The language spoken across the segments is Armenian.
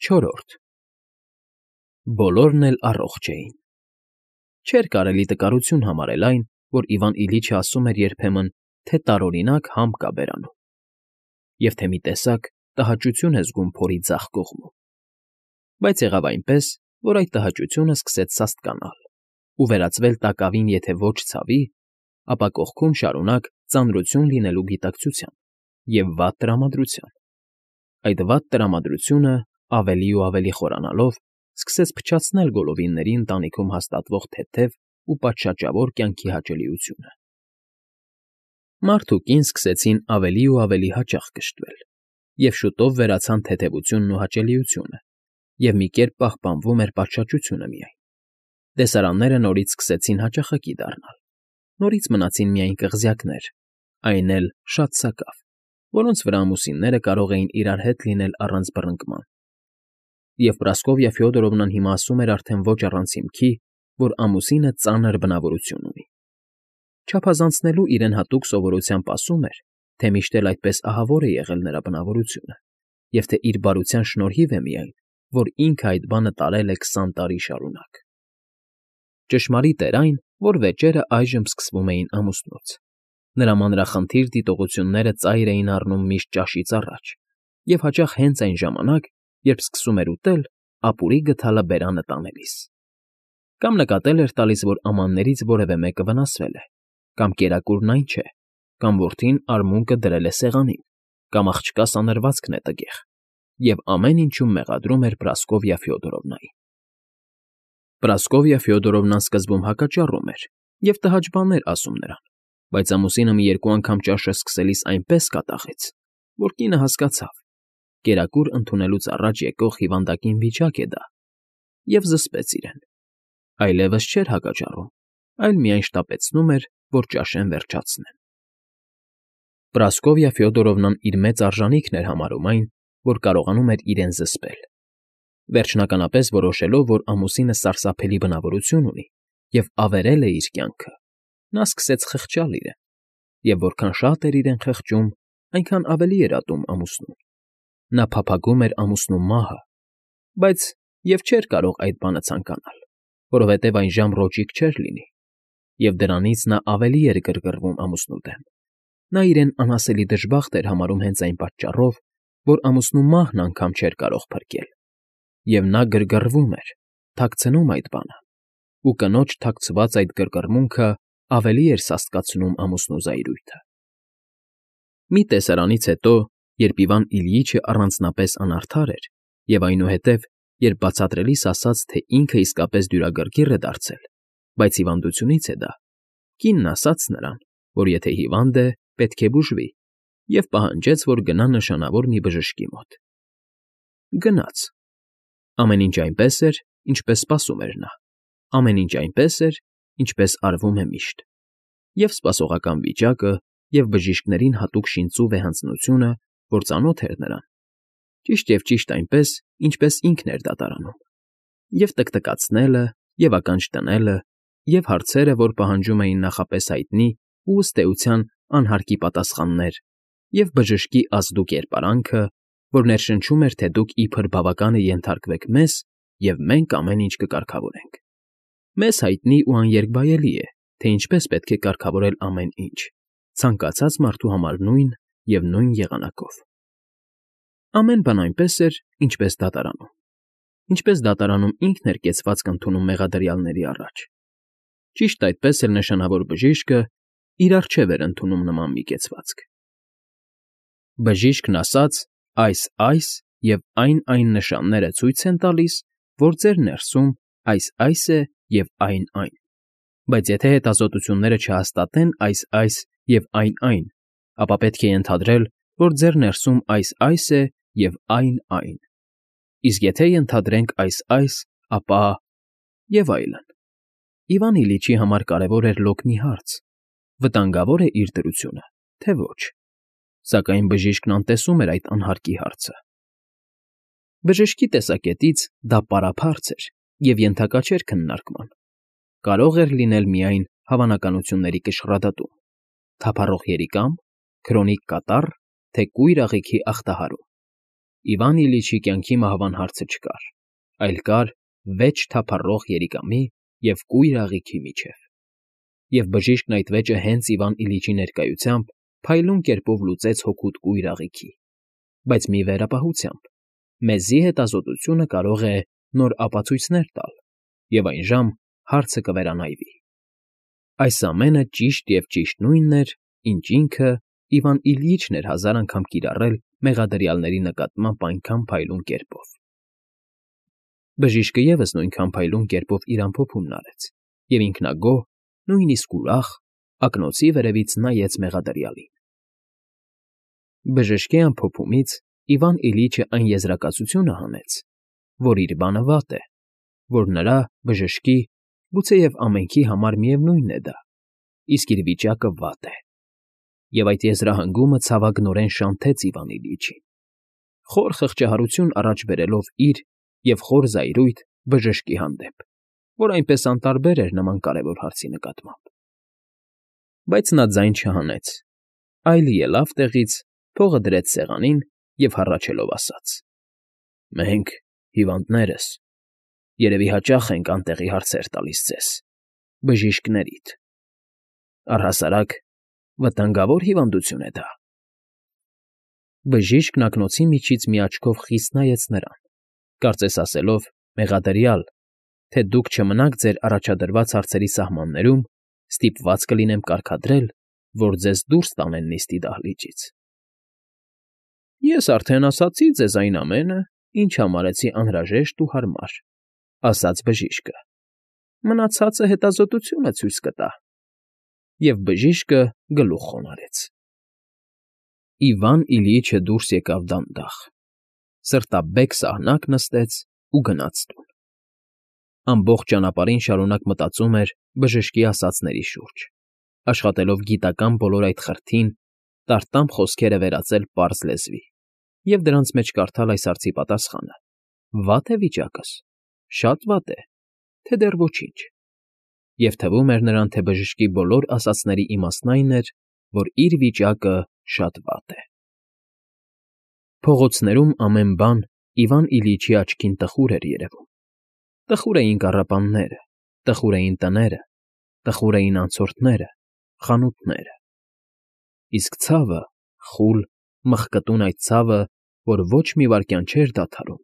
Չորրորդ Բոլորն էլ առողջ էին։ Չէր կարելի տկարություն համարել այն, որ Իվան Իլիչը ասում էր երբեմն, թե տարօրինակ համ կա բերանում, և թե մի տեսակ տհաճություն է զգում փորի ձախ կողմում։ Բայց եղավ այնպես, որ այդ տհաճությունը սկսեց սաստկանալ ու վերածվել տակավին եթե ոչ ցավի, ապա կողքում շարունակ ծանրություն լինելու գիտակցության և վատ տրամադրության։ Այդ վատ տրամադրությունը, ավելի ու ավելի խորանալով, սկսեց փչացնել գոլորվինների ընտանիքում հաստատվող թեթև ու պատշաճավոր կյանքի հաճելիությունը։ Մարդ ու կին սկսեցին ավելի ու ավելի հաճախ կշտվել, և շուտով վերացան թեթևությունն ու հաճելիությունը, և մի կերպ պահպանվում էր պատշաճությունը միայն։ Տեսարանները նորից սկսեցին հաճախակի դառնալ, նորից մնացին միայն կղզյակներ, այն էլ շատ սակավ, որոնց վրա ամուսինները կարող էին իրար հետ լինել առանց բռնկման։ Եվ Պրասկովյա Ֆյոդորովնան հիմա ասում էր արդեն ոչ առանց հիմքի, որ ամուսինը ծանր բնավորություն ունի։ Չափազանցնելու իրեն հատուկ սովորությամբ ասում էր, թե միշտ էլ այդպես ահավոր է եղել նրա բնավորությունը, և թե իր բարության շնորհիվ է միայն, որ ինքը այդ բանը տարել է 20 տարի շարունակ։ Ճշմարիտ էր այն, որ վեճերը այժմ սկսվում էին ամուսնուց։ Նրա մանրախնդիր դիտողությունները ծայր էին առնում միշտ ճաշից առաջ, և հաճախ հենց այն ժամանակ, երբ սկսում էր ուտել, ապուրի գդալը բերանը տանելիս։ Կամ նկատել էր տալիս, որ ամաններից որևէ մեկը վնասվել է, կամ կերակուրն այն չէ, կամ որդին արմունկը դրել է սեղանին, կամ աղջկա սանրվածքն է տգեղ, և ամեն ինչում մեղադրում էր Պրասկովյա Ֆյոդորովնային։ Պրասկովյա Ֆյոդորովնան սկզբում հակաճառում էր և տհաճ բաներ ասում նրան, բայց ամուսինը մի երկու անգամ ճաշը սկսելիս այնպես կատաղեց, որ կինը հասկացավ. կերակուր ընդունելուց առաջ եկող հիվանդակին վիճակ է դա, և զսպեց իրեն։ Այլևս չէր հակաճառում, այլ միայն շտապեցնում էր, որ ճաշեն վերջացնեն։ Պրասկովյա Ֆյոդորովնան իր մեծ արժանիքն էր համարում այն, որ կարողանում էր իրեն զսպել։ Վերջնականապես որոշելով, որ ամուսինը սարսափելի բնավորություն ունի և ավերել է իր կյանքը, նա սկսեց խղճալ իրեն, և որքան շատ էր իրեն խղճում, այնքան ավելի էր ատում ամուսնուն։ Նա փափագում էր ամուսնու մահը, բայց և չէր կարող այդ բանը ցանկանալ, որովհետև այն ժամռոճիկ չէր լինի, և դրանից նա ավելի էր գրգռվում ամուսնու դեմ։ Նա իրեն անասելի դժբախտ էր համարում հենց այն պատճառով, որ ամուսնու մահն անգամ չէր կարող փրկել, և նա գրգռվում էր, թաքցնում այդ բանը, ու կնոջ թաքցված այդ գրգռմունքը ավելի էր սաստկացնում ամուսնու զայրույթը։ Մի տեսարանից հետո, երբ Իվան Իլյիչը առանձնապես անարդար էր, և այնուհետև, երբ բացատրելիս ասաց, թե ինքը իսկապես դյուրագրգիռ է դարձել, բայց հիվանդությունից է դա, կինն ասաց նրան, որ եթե հիվանդ է, պետք է բուժվի, և պահանջեց, որ գնա նշանավոր մի բժշկի մոտ։ Գնաց։ Ամեն ինչ այնպես էր, ինչպես սպասում էր նա, ամեն ինչ այնպես էր, ինչպես արվում է միշտ, և սպասողական վիճակը, և բժիշկներին հատուկ շինծու վեհանձնությունը, որ ծանոթ էր նրան, ճիշտ այնպես, ինչպես ինքն էր դատարանում, և տկտկացնելը, և ականջ դնելը, և հարցերը, որ պահանջում էին նախապես հայտնի ու, ըստ էության, անհարկի պատասխաններ, և բժշկի ազդու կերպարանքը, որ ներշնչում էր, թե դուք իբր բավական է ենթարկվեք մեզ, և մենք ամեն ինչ կկարգավորենք։ Մեզ հայտնի ու աներկբայելի է, թե ինչպես պետք է կարգավորել ամեն ինչ, ցանկացած մարդու համար նույն և նույն եղանակով։ Ամեն բան այնպես էր, ինչպես դատարանում։ Ինչպես դատարանում ինքն էր կեցվածք ընդունում մեղադրյալների առաջ։ Ճիշտ այդպես էլ նշանավոր բժիշկը իր առջև էր ընդունում նման մի կեցվածք։ Բժիշկն ասաց. այս և այն նշանները ցույց են տալիս, որ ձեր ներսում այս է և այն։ Բայց եթե հետազոտությունները չհաստատեն այս և այն, ապա պետք է ենթադրել, որ ձեր ներսում այս է և այն։ Իսկ եթե ենթադրենք այս, ապա… Եվ այլն։ Իվան Իլիչի համար կարևոր էր լոկ մի հարց. վտանգավոր է իր դրությունը, թե ոչ։ Սակայն բժիշկն անտեսում էր այդ անհարկի հարցը։ Բժշկի տեսակետից դա պարափառց էր և ենթակա չէր քննարկման, կարող էր լինել միայն հավանականությունների կշռադատում, թափառող երիկամ, քրոնիկ կատառ, թե կույր աղիքի ախտահարում։ Իվան Իլիչի կյանքի մահվան հարցը չկար, այլ կար վեճ թափառող երիկամի և կույր աղիքի միջև, և բժիշկն այդ վեճը հենց Իվան Իլիչի ներկայությամբ փայլուն կերպով լուծեց հօգուտ կույր աղիքի, բայց մի վերապահությամբ. մեզի հետազոտությունը կարող է նոր ապացույցներ տալ, և այն ժամ հարցը կվերանայվի։ Այս ամենը ճիշտ և ճիշտ նույնն էր, ինչ ինքը Իվան Իլյիչն էր 1000 անգամ կիրառել մեղադրյալների նկատմամբ այնքան փայլուն կերպով։ Բժիշկը ևս նույնքան փայլուն կերպով իր ամփոփումն արեց, և ինքնագոհ, նույնիսկ ուրախ, ակնոցի վերևից նայեց մեղադրյալին։ Բժշկի ամփոփումից Իվան Իլիչը այն եզրակացությունը հանեց, որ իր բանը վատ է, որ նրա՝ բժշկի, գուցեև ամենքի համար միևնույնն է դա, իսկ իր վիճակը վատ է։ Եվ այդ եզրահանգումը ցավագնորեն շանթեց Իվան Իլիչին, խոր խղճահարություն առաջ բերելով իր և խոր զայրույթ բժշկի հանդեպ, որ այնպես անտարբեր էր նման կարևոր հարցի նկատմամբ։ Բայց նա ձայն չհանեց, այլ ելավ տեղից, փողը դրեց սեղանին և հառաչելով ասաց. «Մենք, հիվանդներս, երևի հաճախ ենք անտեղի հարցեր տալիս ձեզ, բժիշկներիդ. առհասարակ վտանգավոր հիվանդություն է դա»։ Բժիշկն ակնոցի միջից մի աչքով խիստ նայեց նրան, կարծես ասելով. «Մեղադրյալ, թե դուք չմնաք ձեր առաջադրված հարցերի սահմաններում, ստիպված կլինեմ կարգադրել, որ ձեզ դուրս տանեն նիստի դահլիճից»։ «Ես արդեն ասացի ձեզ այն ամենը, ինչ համարեցի անհրաժեշտ ու հարմար», ֊ ասաց բժիշկը։ «Մնացածը հետազոտությունը ցույց կտա»։ Եվ բժիշկը գլուխ խոնարհեց։ Իվան Իլիչը դուրս եկավ դանդաղ, սրտաբեկ սահնակ նստեց ու գնաց տուն։ Ամբողջ ճանապարհին շարունակ մտածում էր բժշկի ասածների շուրջ, աշխատելով գիտական բոլոր այդ խրթին, տարտամ խոսքերը վերածել պարզ լեզվի և դրանց մեջ կարդալ այս հարցի պատասխանը. վա՞տ է վիճակս, շատ վատ է, թե դեռ ոչինչ։ Եվ թվում էր նրան, թե բժշկի բոլոր ասածների իմաստն այն էր, որ իր վիճակը շատ վատ է։ Փողոցներում ամեն բան Իվան Իլիչի աչքին տխուր էր երևում. տխուր էին կառապանները, տխուր էին տները, տխուր էին անցորդները, խանութները։ Իսկ ցավը, խուլ, մխկտուն այդ ցավը, որ ոչ մի վայրկյան չէր դադարում,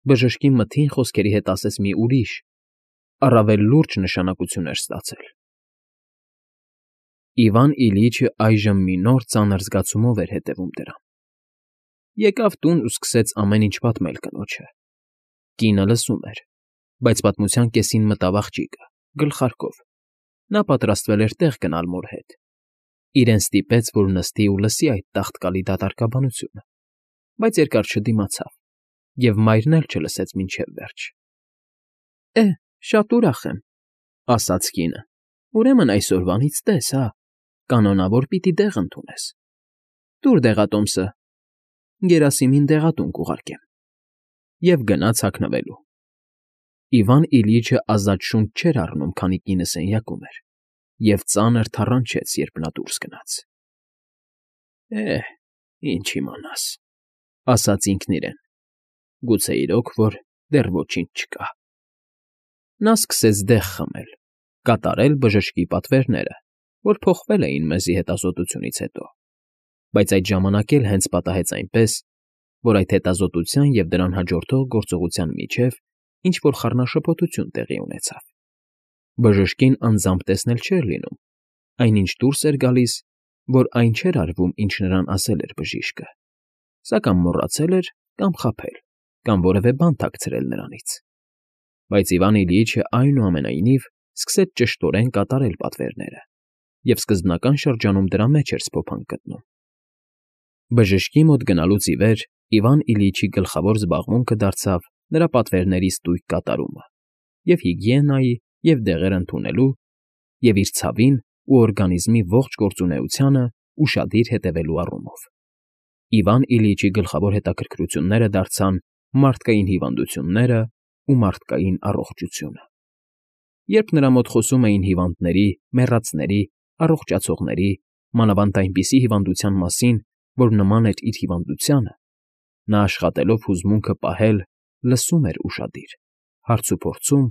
բժշկի մթին խոսքերի հետ ասես մի ուրիշ, առավել լուրջ նշանակություն էր ստացել։ Իվան Իլիչը այժմ մի նոր ծանր զգացումով էր հետևում դրան։ Եկավ տուն ու սկսեց ամեն ինչ պատմել կնոջը։ Կինը լսում էր, բայց պատմության կեսին մտավ աղջիկը, գլխարկով. նա պատրաստվել էր տեղ գնալ մոր հետ։ Իրեն ստիպեց, որ նստի ու լսի այդ տաղտկալի դատարկաբանությունը, բայց երկար չդիմացավ, և մայրն էլ չլսեց մինչև վերջ։ Շատ ուրախ եմ, ֊ ասաց կինը։ Ուրեմն այսօրվանից տես, հա, կանոնավոր պիտի դեղ ընդունես։ Տուր դեղատոմսը, գերասիմին դեղատուն կուղարկեմ։ Եվ գնաց հագնվելու։ Իվան Իլիչը ազատ շունչ չէր առնում, քանի կինը սենյակում էր, և ծանր թառանչեց, երբ նա դուրս գնաց։ Ինչ իմանաս, ֊ ասաց ինքն իրեն, գուցե իրոք որ դեռ ոչինչ չկա։ Նա սկսեց դեղ խմել, կատարել բժշկի պատվերները, որ փոխվել էին մեզի հետազոտությունից հետո, բայց այդ ժամանակ էլ հենց պատահեց այնպես, որ այդ հետազոտության և դրան հաջորդող գործողության միջև ինչ֊որ խառնաշփոթություն տեղի ունեցավ։ Բժշկին անձամբ տեսնել չէր լինում, այնինչ դուրս էր գալիս, որ այն չէր արվում, ինչ նրան ասել էր բժիշկը, սա կամ մոռացել էր, կամ խաբել, կամ որևէ բան թաքցրել նրանից։ Բայց Իվան Իլիչը, այնուամենայնիվ, սկսեց ճշտորեն կատարել պատվերները և սկզբնական շրջանում դրա մեջ էր սփոփանք գտնում։ Բժշկի մոտ գնալուց ի վեր Իվան Իլիչի գլխավոր զբաղմունքը դարձավ նրա պատվերների ստույգ կատարումը և հիգիենայի և դեղեր ընդունելու և իր ցավին ու օրգանիզմի ողջ գործունեությանը ուշադիր հետևելու առումով։ Իվան Իլիչի գլխավոր հետաքրքրությունները դարձան մարդկային հիվանդությունները ու մարդկային առողջությունը։ Երբ նրա մոտ խոսում էին հիվանդների, մեռածների, առողջացողների, մանավանդ այնպիսի հիվանդության մասին, որ նման էր իր հիվանդությանը, Նա աշխատելով հուզմունքը պահել, լսում էր ուշադիր, հարցուփորձում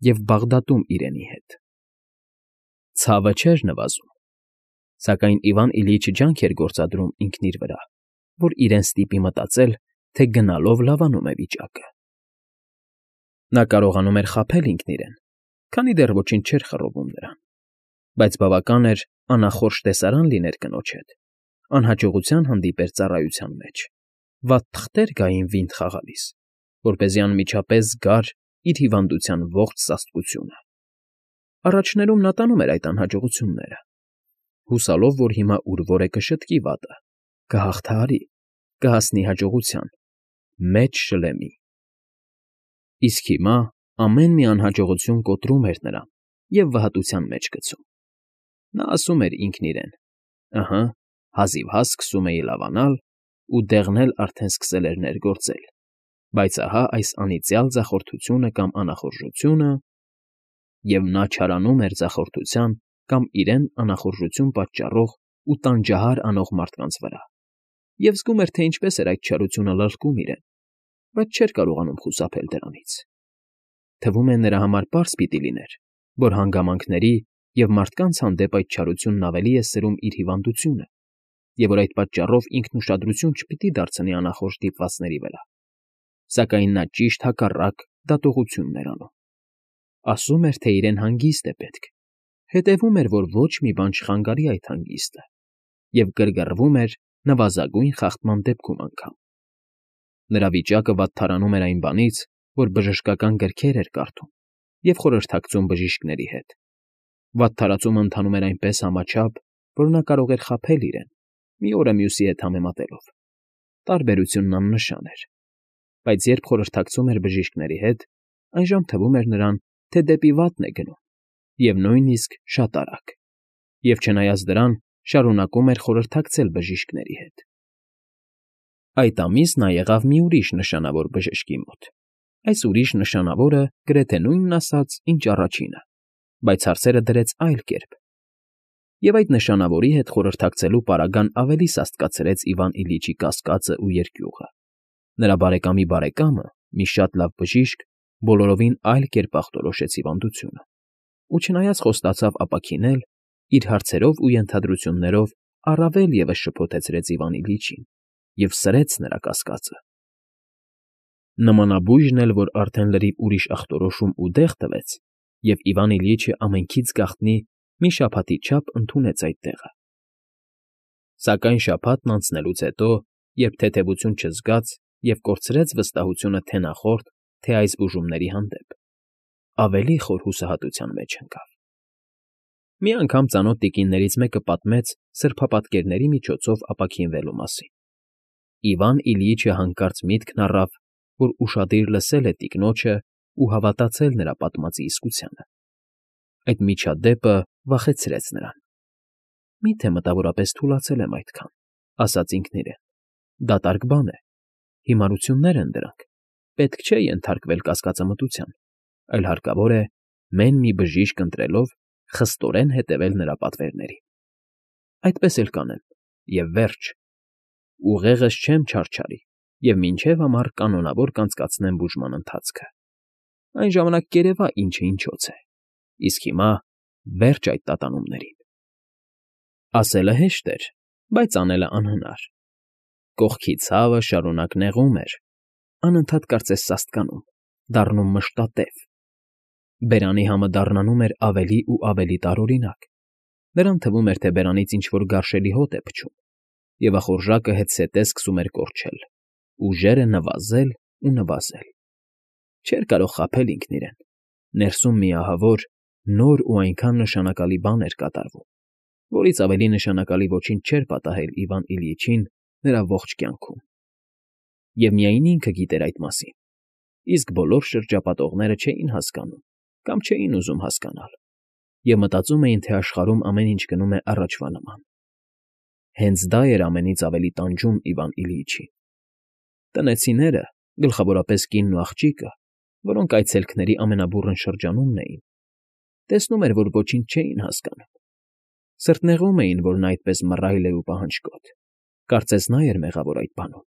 և բաղդատում իրենի հետ։ Ցավը չէր նվազում, սակայն Իվան Իլյիչը ջանք էր գործադրում ինքն իր վրա, որ իրեն ստիպի մտածել, թե գնալով լավանում է վիճակը։ Նա կարողանում էր խաբել ինքն իրեն, քանի դեռ ոչինչ չէր խռովում նրան, բայց բավական էր անախորժ տեսարան լիներ կնոջ հետ, անհաջողության հանդիպեր ծառայության մեջ, վատ թղթեր գային վինդ խաղալիս, որպեսզի անմիջապես զգար իր հիվանդության ողջ սաստկությունը։ Առաջներում նա տանում էր այդ անհաջողությունները, հուսալով, որ հիմա ուր որ է կշտկի վատը, կհաղթահարի, կհասնի հաջողության, մեծ շլեմի։ Իսկ հիմա ամեն մի անհաջողություն կոտրում էր նրան և վհատության մեջ գցում։ Նա ասում էր ինքն իրեն. «Ըհը, հազիվհազ սկսում էի լավանալ, ու դեղն էլ արդեն սկսել էր ներգործել, բայց ահա այս անիծյալ ձախորդությունը կամ անախորժությունը…» Եվ նա չարանում էր ձախորդության կամ իրեն անախորժություն պատճառող ու տանջահար անող մարդկանց վրա, և զգում էր, թե ինչպես էր այդ չարությունը լլկում իրեն, բայց չէր կարողանում խուսափել դրանից։ Թվում է նրա համար պարզ պիտի լիներ, որ հանգամանքների և մարդկանց հանդեպ այդ չարությունն ավելի է սրում իր հիվանդությունը, և որ այդ պատճառով ինքն ուշադրություն չպիտի դարձնի անախորժ դիպվածների վրա, սակայն նա ճիշտ հակառակ դատողությունն էր անում։ Ասում էր, թե իրեն հանգիստ է պետք, հետևում էր, որ ոչ մի բան չխանգարի այդ հանգիստը, և գրգռվում էր նվազագույն խախտման դեպքում անգամ։ Նրա վիճակը վատթարանում էր այն բանից, որ բժշկական գրքեր էր կարդում և խորհրդակցում բժիշկների հետ։ Վատթարացումը ընթանում էր այնպես համաչափ, որ նա կարող էր խաբել իրեն, մի օրը մյուսի հետ համեմատելով։ Տարբերությունն աննշան էր, բայց երբ խորհրդակցում էր բժիշկների հետ, այժմ թվում էր նրան, թե դեպի վատն է գնում, և նույնիսկ շատ արագ, և չնայած դրան շարունակում էր խորհրդակցել բժիշկների հետ։ Այդ ամիս նա եղավ մի ուրիշ նշանավոր բժշկի մոտ։ Այս ուրիշ նշանավորը գրեթե նույնն ասաց, ինչ առաջինը, բայց հարցերը դրեց այլ կերպ։ Եվ այդ նշանավորի հետ խորհրդակցելու պարագան ավելի սաստկացրեց Իվան Իլյիչի կասկածն ու երկյուղը։ Նրա բարեկամի բարեկամը, մի շատ լավ բժիշկ, բոլորովին այլ կերպ ախտորոշեց հիվանդությունը, ու չնայած խոստացավ ապաքինել, իր հարցերով ու ենթադրություններով առավել ևս շփոթեցրեց Իվան Իլյիչին և սրեց նրա կասկածը։ Նմանաբույժն էլ, որ արդեն լրիվ ուրիշ ախտորոշում ու դեղ տվեց, և Իվան Իլյիչը ամենքից գաղտնի մի շաբաթի չափ ընդունեց այդ տեղը։ Սակայն շաբաթն անցնելուց հետո, երբ թեթևություն չզգաց և կորցրեց վստահությունը թե նախորդ, թե այս բուժումների հանդեպ, ավելի խոր հուսահատության մեջ ընկավ։ Մի անգամ ծանոթ տիկիններից մեկը պատմեց սրբապատկերների միջոցով ապաքինվելու մասին։ Իվան Իլյիչը հանկարծ միտքն առավ, որ ուշադիր լսել է տիկնոջը ու հավատացել նրա պատմածի իսկությանը։ Այդ միջադեպը վախեցրեց նրան։ «Մի՞թե մտավորապես թուլացել եմ այդքան», ասաց ինքն իրեն։ «Դատարկ բան է, հիմարություններ են դրանք, պետք չէ ենթարկվել կասկածամտության, այլ հարկավոր է, մեն մի բժիշկ ընտրելով, խստորեն հետևել նրա պատվերներին։ Այդպես էլ կանեմ, և վերջ։ Ուղեղս չեմ չարչարի և մինչև ամառ կանոնավոր կանցկացնեմ բուժման ընթացքը։ Այն ժամանակ կերևա ինչը ինչոց է, իսկ հիմա վերջ այդ տատանումներին»։ Ասելը հեշտ էր, բայց անելը անհնար։ Կողքի ցավը շարունակ նեղում էր, անընդհատ կարծես սաստկանում, դառնում մշտատև։ Բերանի համը դառնանում էր ավելի ու ավելի տարօրինակ։ Նրան թվում էր, թե բերանից ինչ֊որ գարշելի հոտ է փչում, և ախորժակը հետզհետե սկսում էր կորչել, ուժերը նվազել ու նվազել։ Չէր կարող խաբել ինքն իրեն։ Ներսում մի ահավոր, նոր ու այնքան նշանակալի բան էր կատարվում, որից ավելի նշանակալի ոչինչ չէր պատահել Իվան Իլյիչին նրա ողջ կյանքում։ Եվ միայն ինքը գիտեր այդ մասին, իսկ բոլոր շրջապատողները չէին հասկանում կամ չէին ուզում հասկանալ, և մտածում էին, թե աշխարհում ամեն ինչ գնում է առաջվա նման։ Հենց դա էր ամենից ավելի տանջում Իվան Իլյիչին։ Տնեցիները, գլխավորապես կինն ու աղջիկը, որոնք այցելքների ամենաբուռն շրջանումն էին, տեսնում էր, որ ոչինչ չէին հասկանում։ Սրտնեղում էին, որ նա այդպես մռայլ է ու պահանջկոտ, կարծես նա էր մեղավոր այդ բանում։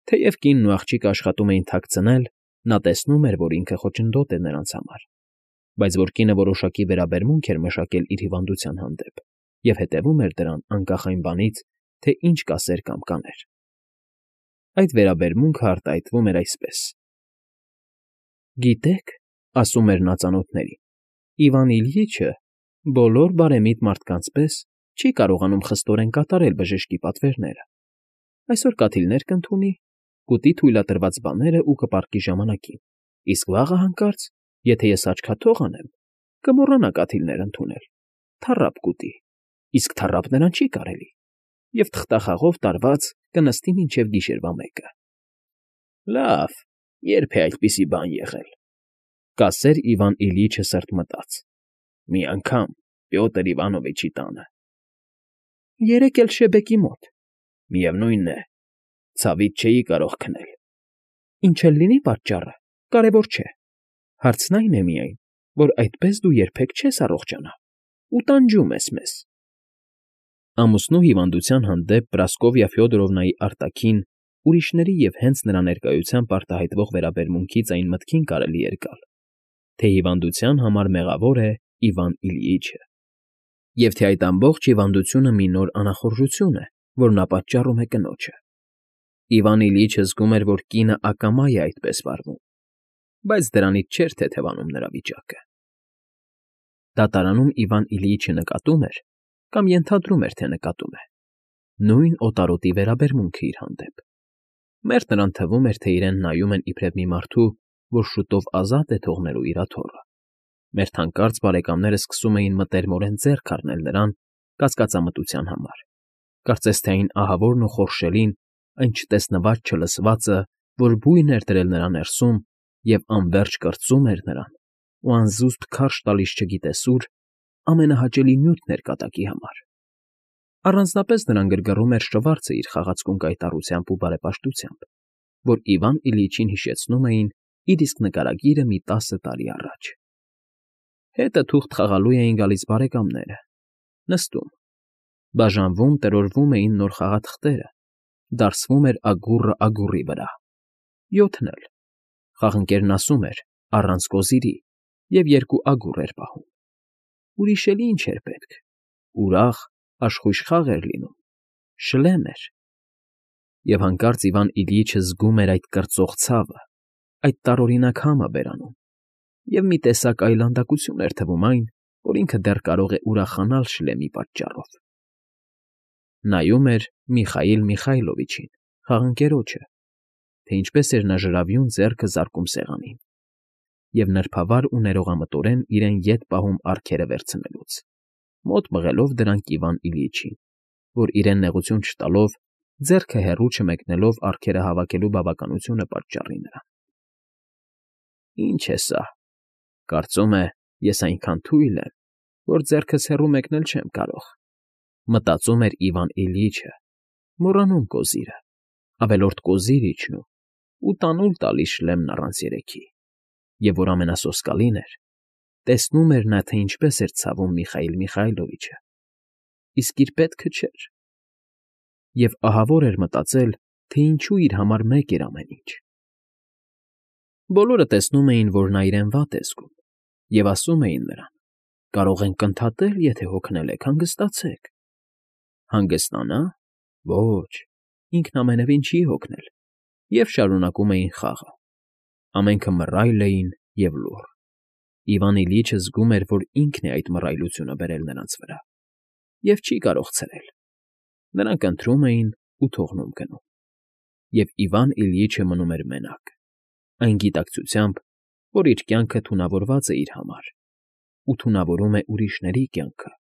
Թեև կինն ու աղջիկը աշխատում էին թաքցնել, նա տեսնում էր, որ ինքը խոչընդոտ է նրանց համար, բայց որ կինը որոշակի վերաբերմունք էր մշակել իր հիվանդության հանդեպ և հետևում էր դրան անկախ այն բանից, թե ինչ կասեր կամ կաներ։ Այդ վերաբերմունքը արտահայտվում էր այսպես. «Գիտեք, — ասում էր նա ծանոթներին, — Իվան Իլյիչը բոլոր բարեմիտ մարդկանց պես չի կարողանում խստորեն կատարել բժշկի պատվերները։ Այսօր կաթիլներ կընդունի, կուտի թույլատրված բաները ու կպառկի ժամանակին, իսկ վաղը հանկարծ, եթե ես աչքաթող անեմ, կմոռանա կաթիլներ ընդունել, թառապ կուտի, իսկ թառապ նրան չի կարելի, և թղթախաղով տարված կնստի մինչև գիշերվա 1-ը։ Լավ, երբ է այդպիսի բան եղել, կասեր Իվան Իլյիչը սրտմտած։ Մի անգամ Պյոտր Իվանովիչի տանը։ Երեկ էլ Շեբեկի մոտ։ Միևնույն է, ցավից չէի կարող քնել։ Ինչ էլ լինի պատճառը, կարևոր չէ։ Հարցն այն է միայն, որ այդպես դու երբեք չես առողջանա ու տանջում ես մեզ։ Ամուսնու հիվանդության հանդեպ Պրասկովիա Ֆյոդորովնայի արտաքին, ուրիշների և հենց նրա ներկայությամբ արտահայտվող վերաբերմունքից այն մտքին կարելի էր գալ, թե հիվանդության համար մեղավոր է Իվան Իլյիչը, և թե այդ ամբողջ հիվանդությունը մի նոր անախորժություն է, որ նա պատճառում է կնոջը։ Իվան Իլյիչը զգում էր, որ կինը ակամա է այդպես վարվում, բայց դրանից չէր թեթևանում նրա վիճակը։ Դատարանում Իվան Իլյիչը նկատում էր, կամ ենթադրում էր, թե նկատում է, նույն օտարոտի վերաբերմունքը իր հանդեպ։ Մերթ նրան թվում էր, թե իրեն նայում են իբրև մի մարդու, որ շուտով ազատ է թողնելու իր աթոռը։ Մերթ հանկարծ բարեկամները սկսում էին մտերմորեն ձեռք առնել նրան կասկածամտության համար։ Կարծես թե այն ահավորն ու խորշելին, այն չտեսնված չլսվածը, որ բույն էր դրել նրա ներսում և անվերջ կրծում էր նրան ու անզուսպ քարշ տալիս չգիտես ուր, ամենահաճելի նյութն էր կատակի համար։ Առանձնապես նրան գրգռում էր շվարցը իր խաղացկուն կայտառությամբ ու բարեպաշտությամբ, որ Իվան Իլյիչին հիշեցնում էին իր իսկ նկարագիրը մի 10 տարի առաջ։ Հետը թուղթ խաղալու էին գալիս բարեկամները, նստում, բաժանվում, տրորվում էին նոր խաղաթղթերը, դարսվում էր ագուռը ագուռի վրա, յոթն էլ, խաղընկերն ասում էր առանց կոզիրի և 2 ագուռ էր պահում։ Ուրիշ էլ ինչ էր պետք, ուրախ, աշխույժ խաղ էր լինում, շլեմ էր։ Եվ հանկարծ Իվան Իլյիչը զգում էր այդ կրծող ցավը, այդ տարօրինակ համը բերանում, և մի տեսակ այլանդակություն էր թվում այն, որ ինքը դեռ կարող է ուրախանալ շլեմի պատճառով։ Նայում էր Միխայիլ Միխայլովիչին, խաղընկերոջը, թե ինչպես էր նա ժրավյուն ձեռքը զարկում սեղանին, և նրբավար ու ներողամտորեն իրեն ետ պահում ափքերը վերցնելուց, մոտ մղելով դրանք Իվան Իլյիչին, որ իրեն նեղություն չտալով, ձեռքը հեռու չմեկնելով ափքերը հավաքելու բավականությունը պատճառի նրան։ Ինչ է սա, կարծում է, ես այնքան թույլ եմ, որ ձեռքս հեռու մեկնել չեմ կարող, մտածում էր Իվան Իլյիչը, մոռանում կոզիրը, ավելորդ կոզիր իջնում ու տանուլ տալիս շլեմն առանց երեքի, և որ ամենասոսկալին էր, տեսնում էր նա, թե ինչպես էր ցավում Միխայիլ Միխայլովիչը, իսկ իր պետքը չէր, և ահավոր էր մտածել, թե ինչու իր համար մեկ էր ամեն ինչ։ Բոլորը տեսնում էին, որ նա իրեն վատ է զգում, և ասում էին նրան. կարող ենք ընդհատել, եթե հոգնել եք, հանգստացեք։ Հանգստանա՞։ Ոչ, ինքն ամենևին չի հոգնել, և շարունակում էին խաղը։ Ամենքը մռայլ էին և լուռ։ Իվան Իլյիչը զգում էր, որ ինքն է այդ մռայլությունը բերել նրանց վրա, և չի կարող ցրել։ Նրանք ընթրում էին ու թողնում գնում։ Եվ Իվան Իլյիչը մնում էր մենակ, այն գիտակցությամբ, որ իր կյանքը թունավորված է իր համար ու թունավորում է ուրիշների կյանքը,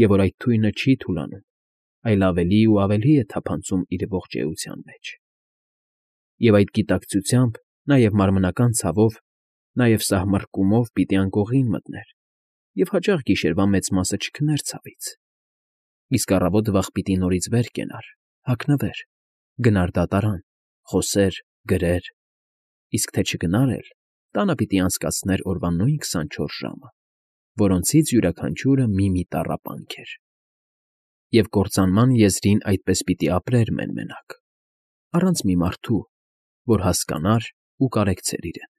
և որ այդ թույնը չի թուլանում, այլ ավելի ու ավելի է թափանցում իր ողջ էության մեջ։ Եվ այդ գիտակցությամբ նաև մարմնական ցավով, նաև սահմռկումով պիտի անկողին մտներ և հաճախ գիշերվա մեծ մասը չքներ ցավից, իսկ առավոտ վաղ պիտի նորից վեր կենար, հագնվեր, գնար դատարան, խոսեր, գրեր, իսկ թե չգնար էլ, տանը պիտի անցկացներ օրվա նույն 24 ժամը, որոնցից յուրաքանչյուրը մի տառապանք էր։ Եվ կործանման եզրին այդպես պիտի ապրեր մեն֊մենակ, առանց մի մարդու, որ հասկանար ու կարեկցեր իրեն։